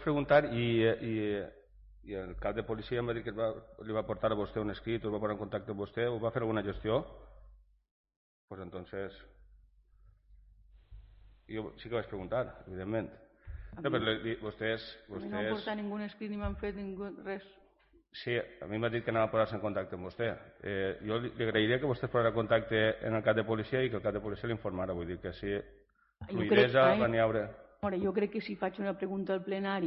preguntar i el cap de policia em va dir que li va portar a vostè un escrit, o va posar en contacte amb vostè, o va fer alguna gestió? Pues entonces... Jo sí que vaig preguntar, evidentment. Vostès... A mi no m'ha portat ningú escrit ni m'han fet res. Sí, a mi m'ha dit que anava a posar-se en contacte amb vostè. Jo li agrairia que vostè es posara en contacte en el cap de policia i que el cap de policia l'informara. Vull dir que si fluidesa va n'hi haure... Jo crec que si faig una pregunta al plenari